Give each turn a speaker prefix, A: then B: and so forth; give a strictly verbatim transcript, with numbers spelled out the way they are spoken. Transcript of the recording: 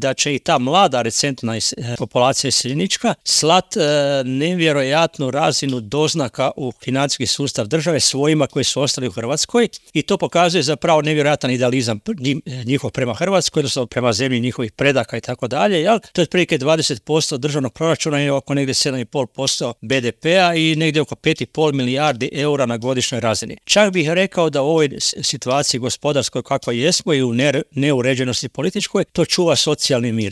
A: da će i ta mlada recentna populacija iseljenička slat e, nevjerojatnu razinu doznaka u financijski sustav države svojima koji su ostali u Hrvatskoj i to pokazuje zapravo nevjerojatan idealizam njihov prema Hrvatskoj, odnosno prema zemlji njihovih predaka i tako dalje. Jel? To je otprilike dvadeset posto državnog proračuna i oko negdje sedam zarez pet posto be de pea i negdje oko pet zarez pet milijardi eura na godišnjoj razini. Čak bih rekao da u ovoj situaciji gospodarskoj kakva jesmo i u neuređenosti političkoj, to čuva socijalni mir.